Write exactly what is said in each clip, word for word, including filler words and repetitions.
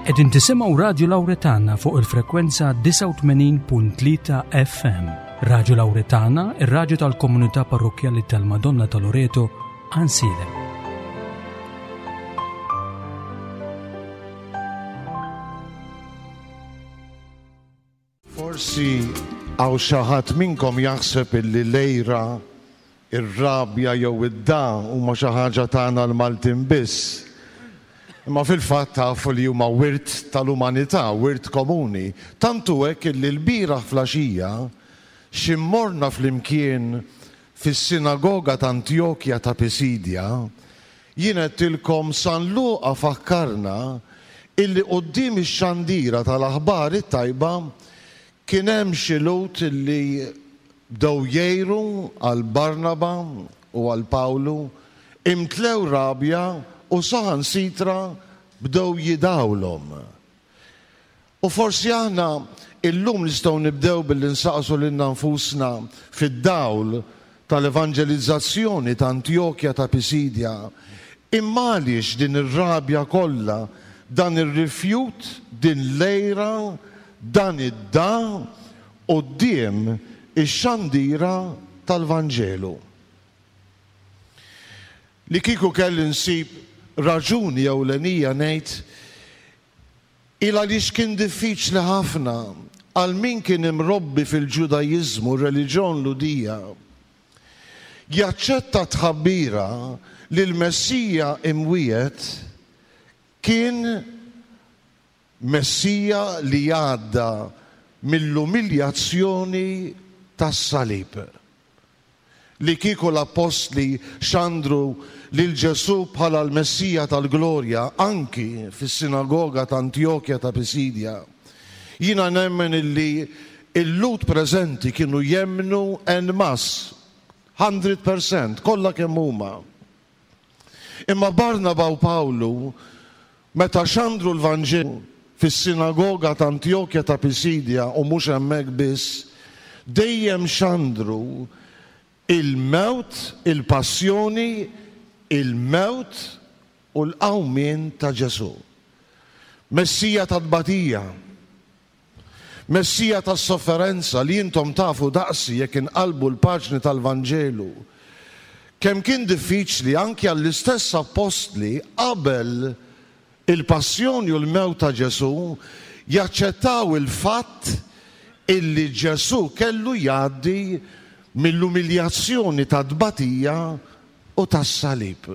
Qegħdin tisimgħu Radju Lawretana fuq il-frekwenza disgħa u tmenin punt tlieta F M. Radju Lawretana, ir-radju tal-komunità parrokkjali tal-Madonna ta' Loreto, Għajnsielem. Forsi hawn xi ħadd minnkom jaħseb illi l-għira, ir-rabja jew id-dagħa huma xi ħaġa tagħna l-Maltin biss. Imma fil-fatt tafu li huma wirt tal-umanità, wirt komuni. Tantu hekk illi l-bieraħ filgħaxija xi morna flimkien fis-sinagoga ta' Antjokja ta' Pisidja, jien għedtilkom San Luqa fakkarna illi quddiem ix-xandira tal-aħbar it-tajba kien hemm xi Lhud illi bdew jgħiru għal Barnaba u għal Pawlu, imtlew rabja u saħansitra bdew jidgħulhom. U forsi aħna illum nistgħu nibdew billi nsaqsu lilna nfusna fid-dawl tal-evanġelizzazzjoni ta' Antjokja ta' Pisidja, imma għaliex din ir-rabja kollha, dan ir-rifjut, din l-għira, dan id-dagħa quddiem ix-xandira tal-Vanġelu? Li kieku kelli nsib raġuni ewlenija, ngħid il għaliex kien diffiċli ħafna għal min kien imrobbi fil-Ġudajiżmu, reliġjon Lhudija, jaċċetta tħabbira li l-Messija imwiegħed kien Messija li għadda mill-umiljazzjoni tas-salib. Li kieku l-appostli xandru lil Ġesù bħala l-Messija tal-Glorja anki fis-sinagoga ta' Antjokja ta' Pisidja, jiena nemmen illi il-Lhud preżenti kienu jemmnu en masse, mija fil-mija, kollha kemm huma. Imma Barnaba u Pawlu, meta xandru l-Vanġelu fis-sinagoga ta' Antjokja ta' Pisidja u mhux hemmhekk biss, dejjem xandru il-mewt, il-passjoni, il-mewt u l-qawmien ta' Ġesù. Messija ta' tbatija, Messija ta' sofferenza li intom tafu daqsi jekk inqalbu l-paġni tal-Vanġelu. Kemm kien diffiċli anki għall-istess appostli qabel il-passjoni u l-mewt ta' Ġesù jaċċettaw il-fatt illi Ġesù kellu jgħaddi mill-umiljazzjoni ta' tbatija u tas-salib.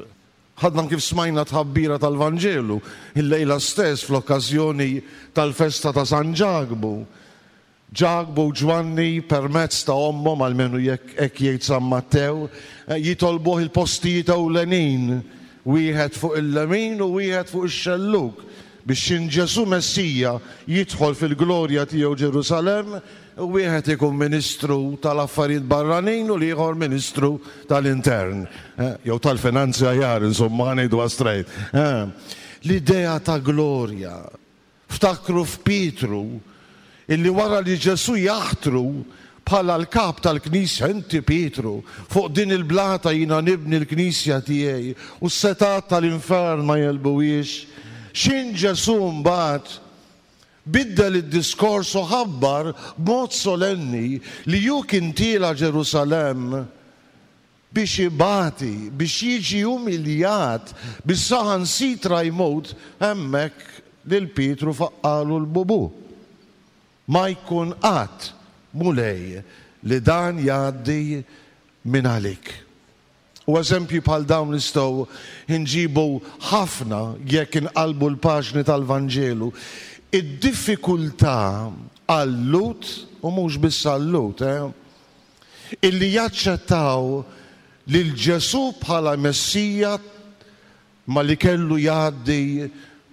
Ħadna kif smajna tħabbira tal-Vanġelu il-lejla stess fl-okkażjoni tal-festa ta' San Ġakbu. Ġakbu u Ġwanni, permezz ta' ommhom, almenu jekk hekk jgħid San Mattew, jitolbuh il-postijiet ewlenin, wieħed fuq il-lemin u wieħed fuq ix-xelluk, biex xin Ġesù Messija jidħol fil-glorja tiegħu Ġerusalemm, wieħed ikun ministru tal-affarijiet barranin u l-ieħor ministru tal-intern jew tal-finanzi aħjar, insomma, ngħidu straight. L-idea ta' glorja. Ftakru f'Pietru illi wara li Ġesù jaħtru bħala l-kap tal-Knisja, "Inti Pietru, fuq din il-blata jiena nibni l-Knisja tiegħi u s-setgħat tal-infern ma jegħlbuhiex." Xin Ġesù mbagħad biddel id-diskors u ħabbar b'mod solenni li hu kien tiela' Ġerusalemm biex ibati, biex jiġi umiljat, biex saħansitra jmut hemmhekk, lil Pietru faqqagħlu l-bubu. "Ma jkun qatt, Mulej, li dan jgħaddi minn għalik." U eżempji bħal dawn nistgħu nġibu ħafna jekk inqalbu l-paġni tal-Vanġelu. Id-diffikultà għal-Lhud, u mhux biss għal-Lhud, eh, illi jaċċettaw lil Ġesù bħala Messija ma li kellu jgħaddi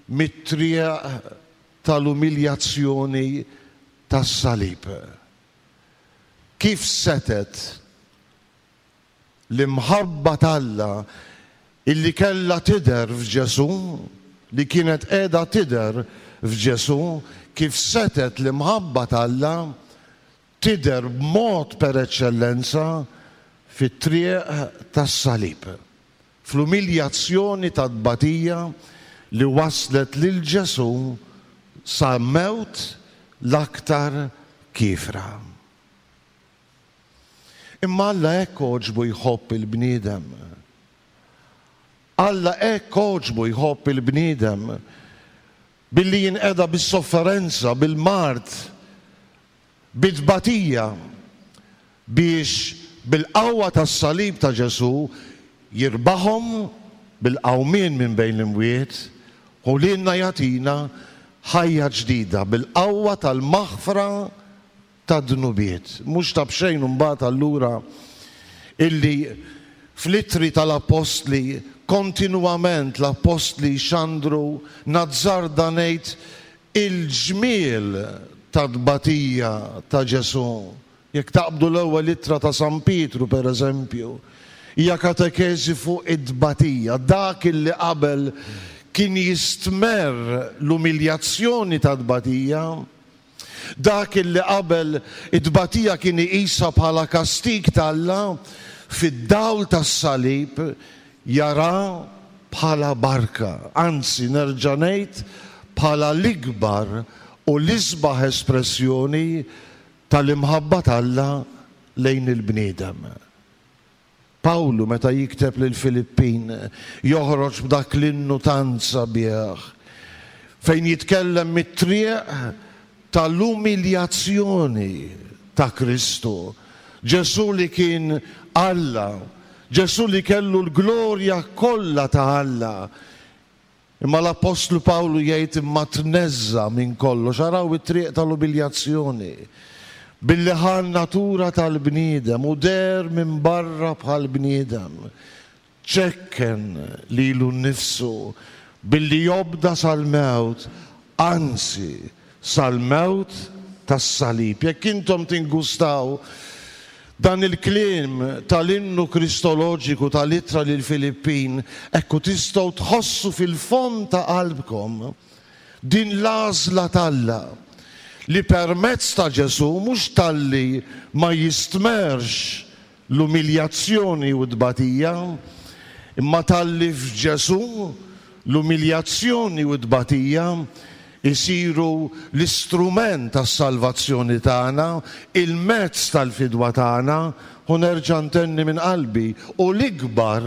mit-triq tal-umiljazzjoni tas-salib. Kif setgħet l-imħabba t'Alla illi kella tidher f'Ġesù, li kienet qiegħda tidher f'Ġesù, kif setgħet l-imħabba t'Alla tidher b'mod per eċċellenza fit-triq tas-salib, fl-umiljazzjoni ta' tbatija li waslet lil Ġesù sa mewt l-aktar kiefra. Imma Alla hekk għoġbu jħobb il-bniedem. Alla hekk għoġbu jħobb il-bniedem billi jinqeda bis-sofferenza, bil-mard, bit-tbatija, biex bil-qawwa tas-salib ta' Ġesù jirbaħhom bil-qawmien minn bejn l-imwiet u lilna jagħtina ħajja ġdida bil-qawwa tal-maħfra tad-dnubiet. Mhux ta' b'xejn imbagħad allura illi fl-ittri tal-Appostli kontinwament l-Appostli xandru, nazzarda ngħid, il-ġmiel ta' tbatija ta' Ġesù. Jekk taqbdu l-ewwel ittra ta' San Pietru per eżempju, hija katekeżi fuq it-tbatija, dak illi qabel kien jistmerr l-umiljazzjoni ta' tbatija, dak illi qabel it-tbatija kien iqisha bħala kastig t'Alla, fid-dawl tas-salib jara bħala barka, anzi nerġa' ngħid bħala l-ikbar u l-isbaħ espressjoni tal-imħabba t'Alla lejn il-bniedem. Pawlu meta jikteb lil Filippin joħroġ b'dak l-innu tant sabiħ fejn jitkellem mit-triq tal-umiljazzjoni ta' Kristu. Ġesù li kien Alla, Ġesù li kellu l-glorja kollha ta' Alla. Imma l-Appostlu Pawlu jgħid imma tneżża minn kollox, araw it-triq tal-umiljazzjoni, billi ħa n-natura tal-bniedem u der minn barra bħal bniedem, ċekken lilu nnifsu billi jobda sal-mewt, anzi sal-mewt tas-salib. Jekk intom tingustaw dan il-kliem tal-innu kristoloġiku tal-ittra lil Filippin, ekku tistgħu tħossu fil-fond ta' qalbkom din l-għażla t'Alla li permezz ta' Ġesù mhux talli ma jistmerx l-umiljazzjoni u t-tbatija, imma talli f'Ġesù l-umiljazzjoni u t-tbatija isiru l-istrument tas-salvazzjoni tagħna, il-mezz tal-fidwa tagħna, u nerġa' ntenni minn qalbi, u l-ikbar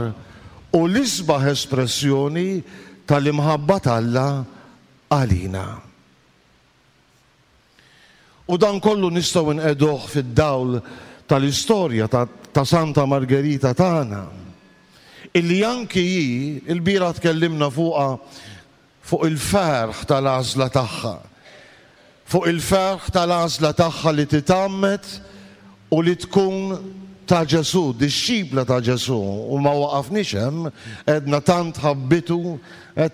u l-isbaħ espressjoni tal-imħabba t'Alla għalina. U dan kollu nistgħu nqegħduh fid-dawl tal-istorja ta', ta' Santa Margherita tagħna, illi anki hi, il-bira tkellimna fuqha, fuq il-ferħ tal-għażla tagħha, fuq il-ferħ tal-għażla tagħha li titgħammed u li tkun ta' Ġesù, dixxipla ta' Ġesù, u ma waqafniex hemm, għedna tant ħabbitu,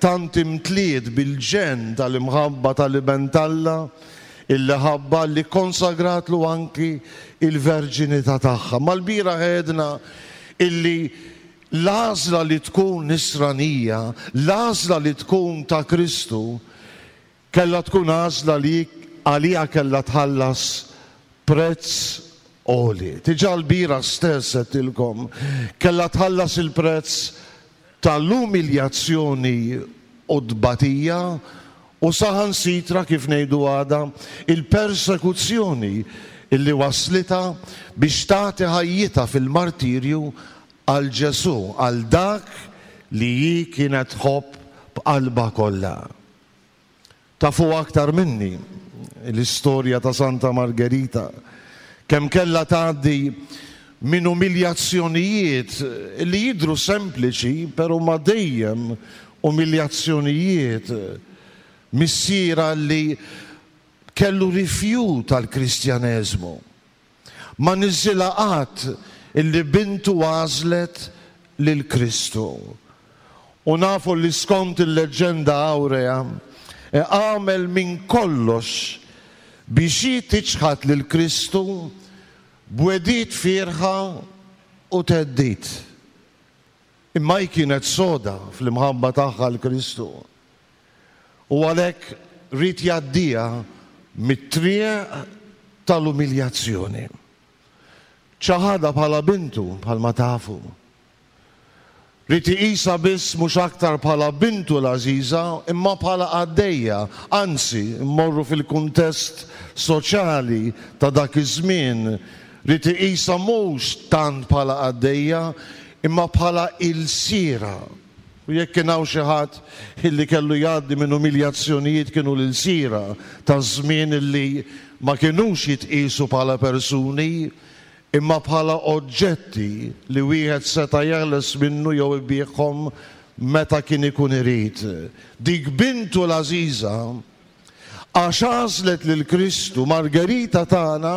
tant imtliet bil-ġenn tal-imħabba tal-Iben t'Alla, illi ħabba li konsagratlu anki il-verġinità tagħha. Mal-bira għedna illi l-għażla li tkun nisranija, l-għażla li tkun ta' Kristu, kellha tkun għażla li għaliha kellha tħallas prezz għoli. Diġà l-bira stess għedtilkom, kellha tħallas il-prezz tal-umiljazzjoni u tbatija u saħansitra, kif ngħidu għada, il-persekuzzjoni illi waslitha biex tagħti ħajjitha fil-martirju għal Ġesù, għal dak li hi kienet tħobb b'qalbha kollha. Tafu aktar minni l-istorja ta' Santa Margherita, kemm kellha tgħaddi minn umiljazzjonijiet li jidhru sempliċi, però ma dejjem umiljazzjonijiet. Missiera li kellu rifjut tal-Kristjaneżmu. Ma niżilha qatt illi bintu għażlet lil Kristu. U nafu li skont il-leġenda aurea għamel minn kollox biex hi tiċħad lil Kristu b'wegħdiet fierħa u theddid. Imma hi kienet soda fl-imħabba tagħha l Kristu. U għalhekk ried jgħaddiha mit-triq tal-umiljazzjoni. Ċaħadha bħala bintu, bħalma tafu. Ried iqisha biss mhux aktar bħala bintu l-għażiża imma bħala qaddejja, anzi mmorru fil-kuntest soċjali ta' dak iż-żmien, ried iqisha mhux tant bħala qaddejja imma bħala ilsira. U jekk kien hawn xi ħadd illi kellu jgħaddi minn umiljazzjonijiet kienu l-ilsira taż-żmien illi ma kinux jitqiesu bħala persuni imma bħala oġġetti li wieħed seta' jeħles minnu jew ibigħhom meta kien ikun irid. Dik bintu l-għażiża għax għażlet lil Kristu, Margherita tagħna,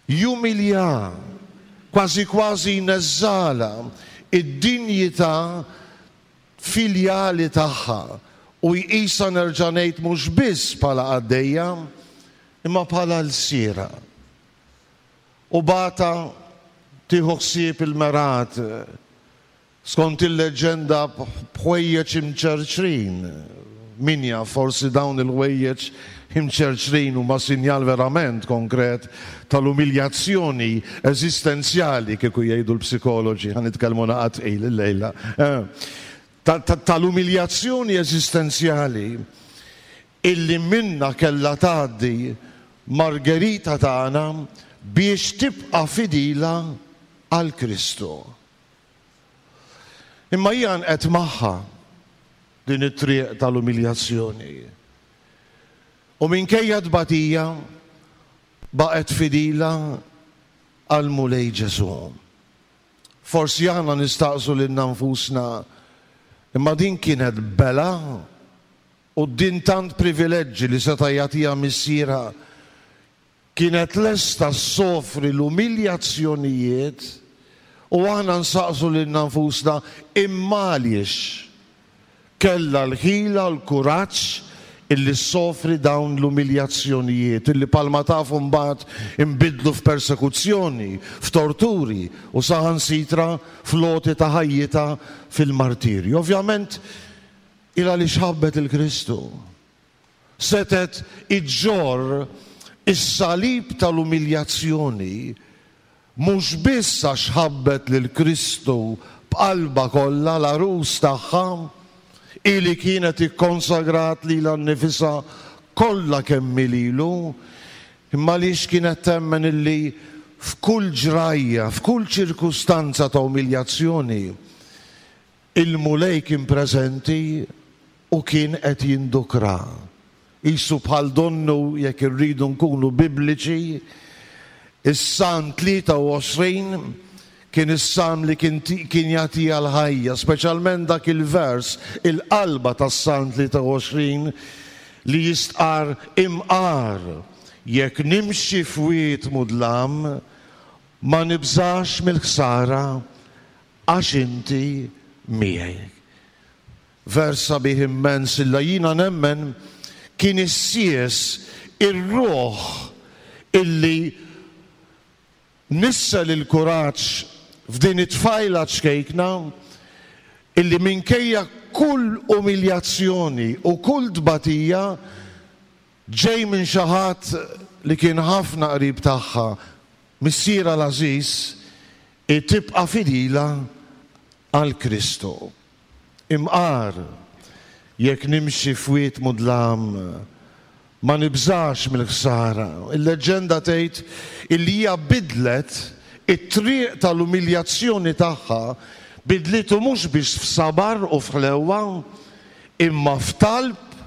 jumilja, kważi kważi jneżżalha id-dinjità filjali tagħha u jqisha nerġa' ngħid mhux biss bħala qaddejja imma bħala lsiera. U bata tieħu ħsieb il-merat skont il-leġenda b'ħwejjeġ imċerċrin. Min jaf forsi dawn il-ħwejjeġ imċerċrin huma sinjal verament konkret tal-umiljazzjoni eżistenzjali kieku jgħidu l-psikoloġi, ħa nitkellmu naqa tqil illejla. Tal-umiljazzjoni eżistenzjali illi minna kellha tgħaddi Margherita tagħna biex tibqa' fidila għal Kristu. Imma hija nqet magħha din it-triq tal-umiljazzjoni. U minkejja tbatija baqgħet fidila għal Mulej Ġesù. Forsi aħna nistaqsu lilna nfusna, imma din kienet bela u din tant privileġġi li seta' jagħtiha missierha kienet lesta ssofri l-umiljazzjonijiet u aħna nsaqsu lilna nfusna imma għaliex kellha l-ħila l-kuraġġ illi ssofri dawn l-umiljazzjonijiet illi palma tafu mbagħad inbidlu f'persekuzzjoni, f'torturi u saħansitra fl-għoti ta' ħajjitha fil-martirju. Ovvjament il għaliex ħabbet il-Kristu. Setet iġġorr is-salib tal-umiljazzjoni mhux biss għax ħabbet lil Kristu b'qalbha kollha l-għarus tagħha, ili kienet ikkonsagrat lilha nnifisha kollha kemm lilu, imma għaliex kienet temmen illi f'kull ġrajja, f'kull ċirkustanza ta' umiljazzjoni, il-Mulej kien preżenti u kien qed jindukra. Isu bħal donnu jekk irridu nkunu bibliċi, is-Salm tlieta u għoxrin kien is-salm li kien jagħtiha l-ħajja, speċjalment dak il-vers, il-qalba tas-Salm tlieta u għoxrin li jistqar imqar jekk nimxi f'wied mudlam ma nibżax mill-ħsara għax inti miegħi. Vers sabiħ immens illa jiena nemmen kien issies ir-ruħ illi nissel il-kuraġġ f'din it-tfajla ċkejkna illi minkejja kull umiljazzjoni u kull tbatija ġej minn xi ħadd li kien ħafna qrib tagħha, missierha l-għażiż, tibqa' fidila għal Kristu. Imqar jekk nimxi f'wied mudlam ma nibżax mill-ħsara. Il-leġenda tgħid illi hija bidlet it-triq tal-umiljazzjoni tagħha, bidlitu mhux biex f'sabar u f'ħlewwa, imma f'talb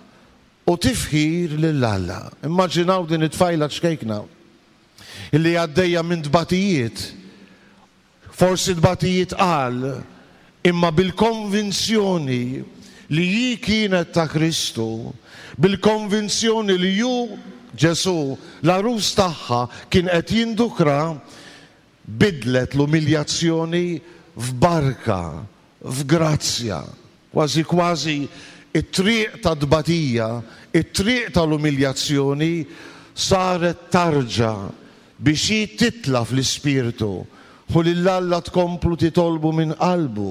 u tifħir lil Alla. Immaġinaw din it-tfajla ċkejkna illi għaddejja minn tbatijiet, forsi tbatijiet qal, imma bil-konvinzjoni li hi kienet ta' Kristu, bil-konvinzjoni li ju Ġesù l-għarus tagħha kien qed jindukra, bidlet l-umiljazzjoni f'barka, f'grazzja. Kważi kważi it-triq ta' tbatija, it-triq tal-umiljazzjoni saret tarġa biex hi titla' fl-ispirtu u lil Alla tkomplu titolbu minn qalbu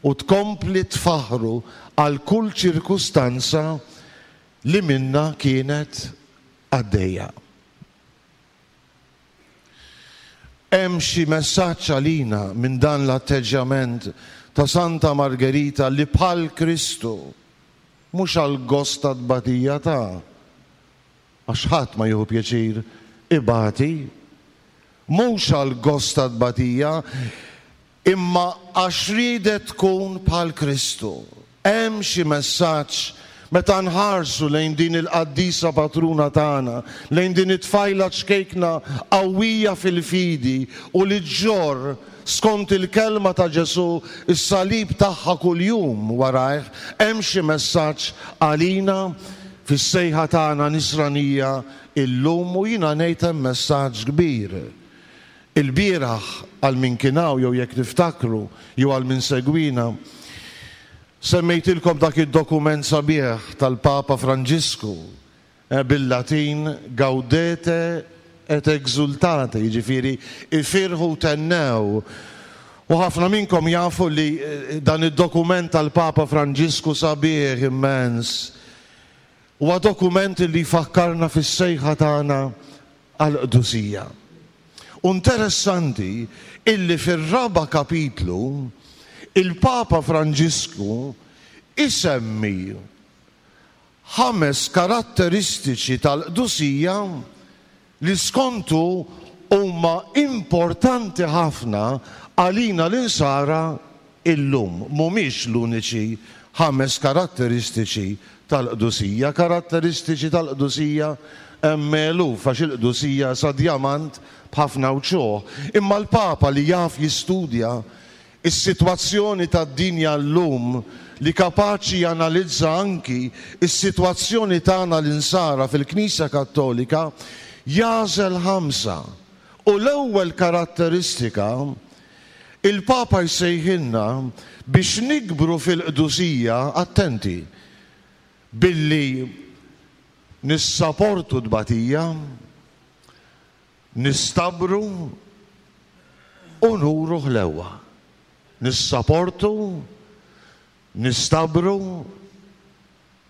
u tkompli tfaħru għal kull ċirkustanza li minna kienet għaddejja. Hemm xi messaġġ għalina minn dan l-atteġġjament ta' Santa Margherita li bħal Kristu, mhux għal gost ta' tbatija ta' għax ħadd ma jieħu pjaċir ibati, mhux għal gost ta' tbatija, imma għax riedet tkun bħal Kristu. Hemm xi messaġġ meta nħarsu lejn din il-qaddisa patruna tagħna, lejn din it-tfajla ċkejkna qawwija fil-fidi u li ġġorr skont il-kelma ta' Ġesù is-salib tagħha kuljum warajh, hemm xi messaġġ għalina fis-sejħa tagħna nisranija illum u jiena ngħid hemm messaġġ kbir. Il-bieraħ għal min kien hawn jew jekk tiftakru jew għal min segwina, semmejtilkom dak id-dokument sabiħ tal-Papa Franġisku bil-Latin Gaudete et exultate, jiġifieri ifirħu tennew. U ħafna minnkom jafu li dan id-dokument tal-Papa Franġisku sabiħ immens. Huwa dokument li jfakkarna fis-sejħa tagħna għall-qdusija. U interessanti illi fir-raba' kapitlu il-Papa Franġisku isemmi ħames karatteristiċi tal-qdusija li skontu huma importanti ħafna għalina l-insara illum. Mhumiex l-uniċi ħames karatteristiċi tal-qdusija. Karatteristiċi tal-qdusija hemm eluf, għax il-qdusija sa djamant b'ħafna wċuħ. Imma l-Papa li jaf jistudja is-sitwazzjoni tad-dinja llum, li kapaċi janalizza anki is-sitwazzjoni tagħna l-insara fil-Knisja Kattolika, jagħżel ħamsa. U l-ewwel karatteristika il-Papa jsejħilna biex nikbru fil-qdusija, attenti, billi nissaportu tbatija, nistabru u nuru ħlewwa. Nissaportu, nistabru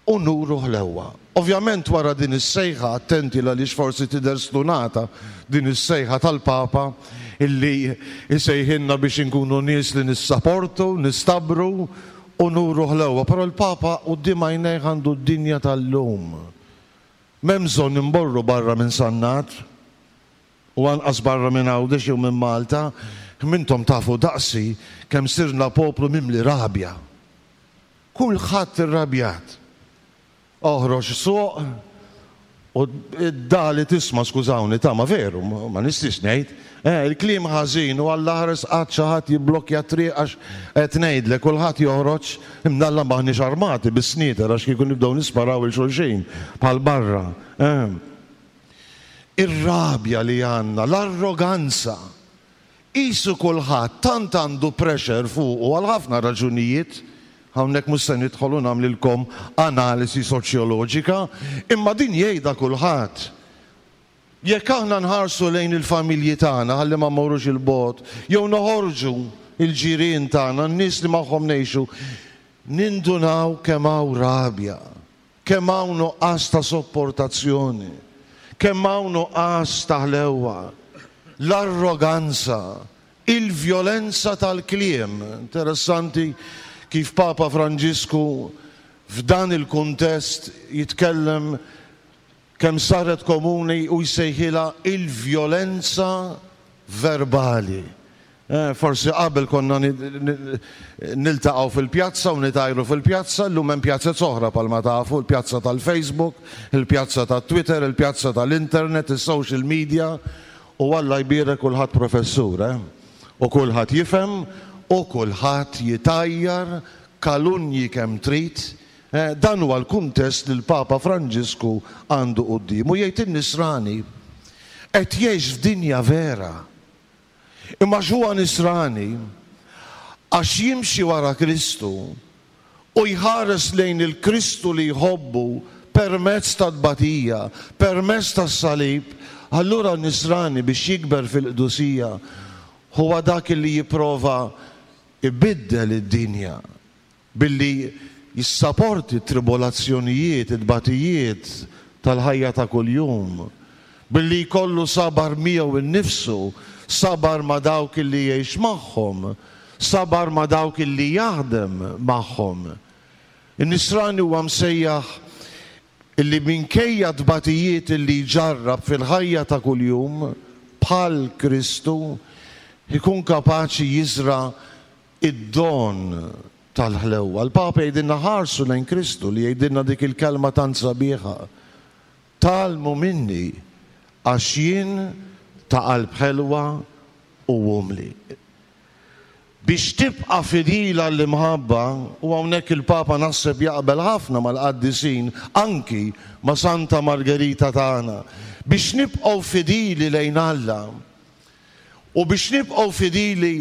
u nuru ħlewwa. Ovvjament wara din is-sejħa, attenti għaliex forsi tidher stunata din is-sejħa tal-Papa illi jsejħilna biex inkunu nies li nissaportu, nistabru u nuru ħlewwa. Però l-Papa quddiem għajnejh għandu d-dinja tal-lum. M'hemm bżonn imborru barra minn Sannat u anqas barra minn Għawdex jew minn Malta, mintom tafu daqsi kemm sirna poplu mimli rabja. Kulħadd irrabjat. Oħroġ suq u d-dali tisma', skużawni, ta' ma veru, ma nistax ngħid, il-kliem ħażin u Alla ħares qatt xi ħadd jibblokja triq għax qed ngħidlek kulħadd joħroġ imnalla maħniex armati bis-snieter għax kieku nibdew nisparaw il xulxin bħal barra. Ir-rabja li għandna, l-arroganza, qisu kulħadd tant għandu pressure fuqu għal ħafna raġunijiet. Hawnhekk mhux se nidħolu nagħmlilkom analisi soċjoloġika, imma din jgħidha kulħadd. Jekk aħna nħarsu lejn il-familji tagħna ħalli ma mmorrux il-bogħod, jew noħorġu il-ġirien tagħna, n-nies li magħhom ngħixu, nindunaw kemm hawn rabja, kemm hawn nuqqas ta' sopportazzjoni, kemm hawn nuqqas ta' ħlewwa, l-arroganza, il-vjolenza tal-kliem. Interessanti kif Papa Franġisku f'dan il-kuntest jitkellem kemm saret komuni u jsejħilha il-vjolenza verbali. Forsi qabel konna niltaqgħu fil-pjazza u nitajru fil-pjazza, llum hemm pjazza oħra bħalma tafu, il-pjazza tal-Facebook, il-pjazza tat-Twitter, il-pjazza tal-Internet, is-social media, u Alla jbierek kulħadd professur, eh? U kulħadd jifhem u kulħadd jitajjar kalunji kemm trid. Dan huwa l-kuntest li l-Papa Franġisku għandu quddiemu. Jgħid in-nisrani qed jgħix f'dinja vera. Imma x'huwa nisrani għax jimxi wara Kristu u jħares lejn il-Kristu li jħobbu permezz tat-tbatija, permezz tas-salib, allura n-nisrani biex jikber fil-qdusija huwa dak li jipprova ibiddel id-dinja billi jissaporti t-tribolazzjonijiet, it-tbatijiet tal-ħajja ta' kuljum, billi jkollu sabar miegħu innifsu, sabar ma' dawk li jgħix magħhom, sabar ma' dawk illi jaħdem magħhom. In-nisrani huwa msejjaħ illi minkejja tbatijiet illi jġarrab fil-ħajja ta' kuljum bħal Kristu ikun kapaċi jiżra' id-don tal-ħlewwa. Il-Papa jgħidilna ħarsu lejn Kristu li jgħidilna dik il-kelma tant sabiħa. Tgħallmu minni għax jien ta' qalb ħelwa u umli. Biex tibqa' fidila l-imħabba, u hawnhekk il-Papa naħseb jaqbel ħafna mal-qaddisin, anki ma' Santa Margherita tagħna, biex nibqgħu fidili lejn Alla u biex nibqgħu fidili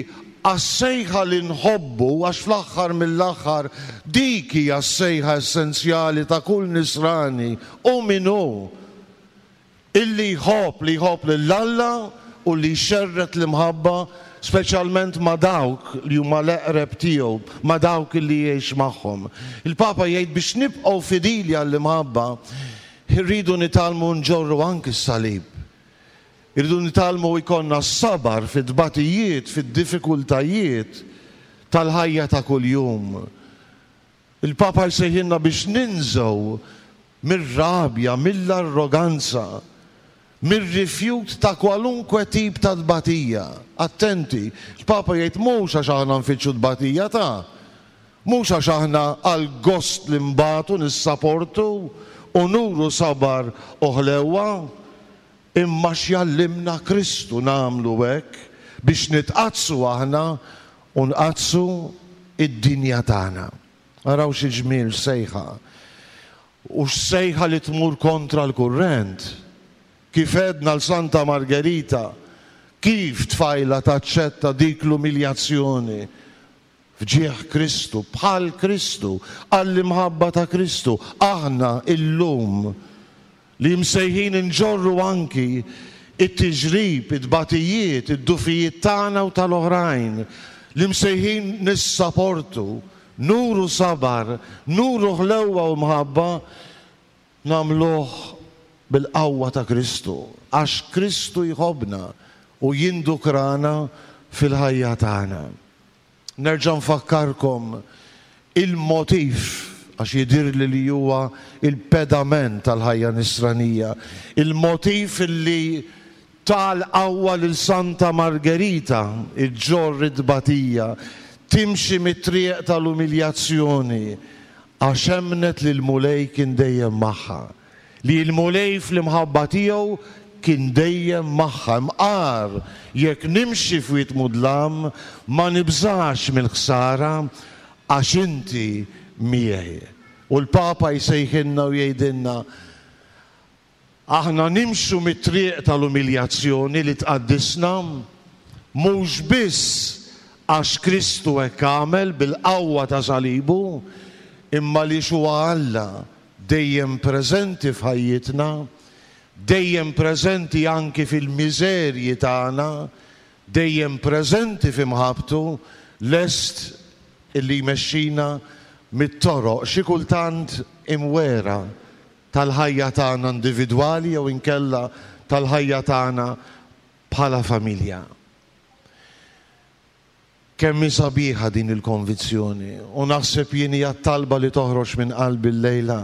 għas-sejħa li nħobbu, għax fl-aħħar mill-aħħar dik hija s-sejħa essenzjali ta' kull nisrani u min hu illi jħobb, li jħobb lil Alla u li jxerred l-imħabba speċjalment ma' dawk li huma l-eqreb tiegħu, ma' dawk li jgħix magħhom. Il-Papa jgħid biex nibqgħu fidili għall-imħabba irridu nitgħallmu nġorru anki s-salib. Irridu nitgħallmu jkollna s-sabar fit-tbatijiet, fid-diffikultajiet tal-ħajja ta' kuljum. Il-Papa jsejħilna biex ninżgħu mir-rabja, mill-arroganza, mir-rifjut ta' kwalunkwe tip ta' tbatija. Attenti, il-Papa jgħid mhux għax aħna nfittxu tbatija ta' mhux għax aħna għal gost li nbatu nissaportu u nuru sabar u ħlewwa, imma x'jallimna Kristu nagħmlu hekk biex nitqaddsu aħna u nqaddsu id-dinja tagħna. Araw xi ġmiel sejħa. U x'sejħa li tmur kontra l-kurrent. Kif għedna l Santa Margherita, kif tfajla taċċetta dik l-umiljazzjoni f'ġieħ Kristu, bħal Kristu, għall-imħabba ta' Kristu. Aħna illum li msejħin inġorru anki it-tiġrib, it-tbatijiet, id-dufijiet tagħna u tal-oħrajn, li msejħin nissaportu, nuru sabar, nuru ħlewwa u mħabba, nagħmluh bil-qawwa ta' Kristu, għax Kristu jħobbna u jindukrana fil-ħajja tagħna. Nerġa' nfakkarkom il-motiv, għax jidhirli li huwa il-pedament tal-ħajja nisranija, il-motiv li tal-qawwa lil Santa Margherita iġġorr it-tbatija, timxi mit-triq tal-umiljazzjoni, għax emmnet li l-Mulej kien dejjem magħha, li l-Mulej fl-imħabba tiegħu kien dejjem magħha. Imqar jekk nimxi f'wied mudlam ma nibżax mill-ħsara għax inti miegħi. U l-Papa jsejħilna u jgħidilna aħna nimxu mit-triq tal-umiljazzjoni li tqaddisna, mhux biss għax Kristu hekk għamel bil-qawwa ta' salibu, imma li huwa Alla dejjem preżenti f'ħajjitna, dejjem preżenti anki fil-miżerji tagħna, dejjem preżenti f'imħabbtu, lest illi jmexxina mit-toroq xi kultant imwera tal-ħajja tagħna individwali jew inkella tal-ħajja tagħna bħala familja. Kemm hi sabiħa din il-konvizzjoni, u naħseb jien hija t-talba li toħroġ minn qalbi llejla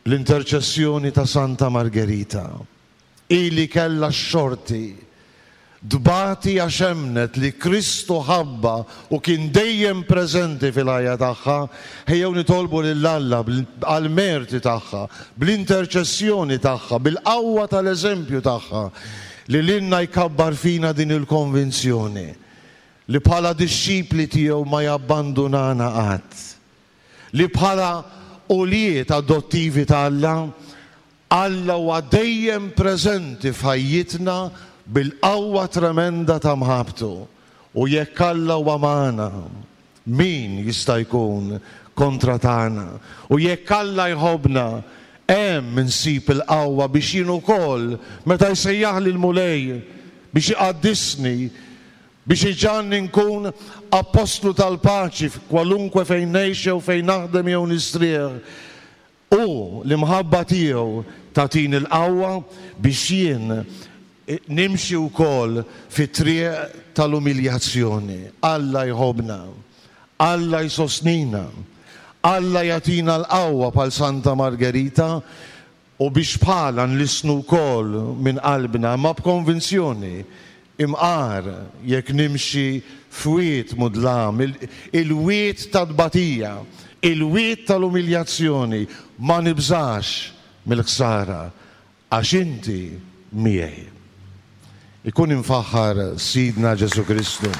bl-interċessjoni ta' Santa Margherita. Ili kellha x-xorti tbati għax emmnet li Kristu ħabba u kien dejjem preżenti fil-ħajja tagħha, ejjew nitolbu lil Alla għall-merti tagħha, bl-interċessjoni tagħha, bil-qawwa tal-eżempju tagħha, li lilna jkabbar fina din il-konvinzjoni li bħala dixxipli tiegħu ma jabbandunana qatt, li bħala ulied adottivi ta' Alla, Alla huwa dejjem preżenti f'ħajjitna bil-qawwa tremenda ta' mħabbtu. U jekk Alla huwa magħna, min jista' jkun kontra tagħna? U jekk Alla jħobbna, hemm insib il-qawwa biex jien ukoll meta jsejjaħli l-Mulej biex iqaddisni, biex iġanni nkun apostlu tal-paċi f'kwalunkwe fejn ngħix jew fejn naħdem jew nistrieħ. U l-imħabba tiegħu tagħtini l-qawwa biex jien Nimxi wkoll fit-triq tal-umiljazzjoni. Alla jħobbna, Alla jsostnina, Alla jagħtina l-qawwa bħal Santa Margherita u biex bħala nlissnu wkoll minn qalbna ma b'konvinzjoni imqar jekk nimxi f'wied mudlam, il-wied ta' tbatija, il-wied tal-umiljazzjoni, ma nibżax mill-ħsara għax inti miegħi. Ikun imfaħħar Sidna Ġesù Kristu.